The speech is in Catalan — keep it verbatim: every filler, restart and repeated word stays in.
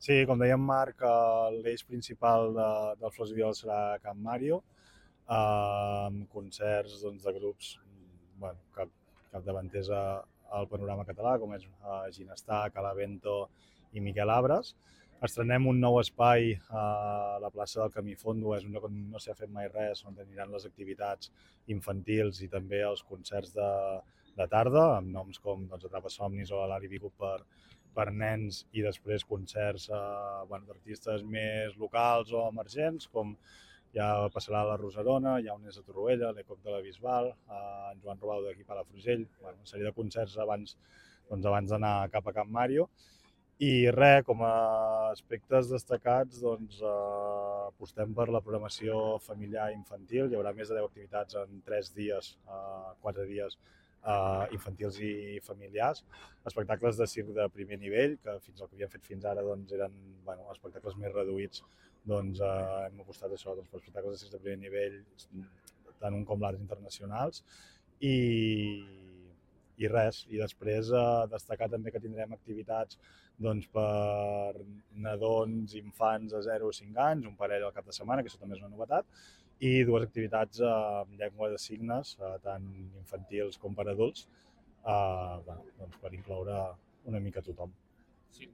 Sí, com deia en Marc, eh, l'eix principal de, del Flors i Viola serà Camp Mario, eh, amb concerts doncs, de grups mm, bueno, cap, capdavanters a- al panorama català, com és eh, Ginestar, Calavento i Miquel Abres. Estrenem un nou espai a la plaça del Camí Fondo, és un lloc on no s'ha fet mai res, on aniran les activitats infantils i també els concerts de, de tarda, amb noms com doncs, Atrapa Somnis o l'Ali Vigo per, per nens i després concerts eh, bueno, d'artistes més locals o emergents, com ja passarà a la Rosarona, hi ha un és a Torroella, l'Ecoc de la Bisbal, eh, en Joan Robau d'aquí a Palafrugell, bueno, una sèrie de concerts abans doncs, abans d'anar cap a Camp Mario. I res, com a aspectes destacats, doncs, eh, apostem per la programació familiar i infantil. Hi haurà més de deu activitats en tres dies, eh, quatre dies, eh, infantils i familiars. Espectacles de circ de primer nivell, que fins al que havíem fet fins ara doncs, eren bueno, espectacles més reduïts. Doncs eh, hem apostat això doncs, per espectacles de circ de primer nivell, tant un com l'Arts Internacionals. I, i res, i després eh, destacar també que tindrem activitats doncs, per nadons, infants de zero a cinc anys, un parell al cap de setmana, que això també és una novetat, i dues activitats eh, amb llengua de signes, eh, tant infantils com per adults, eh, bueno, doncs per incloure una mica tothom. Sí,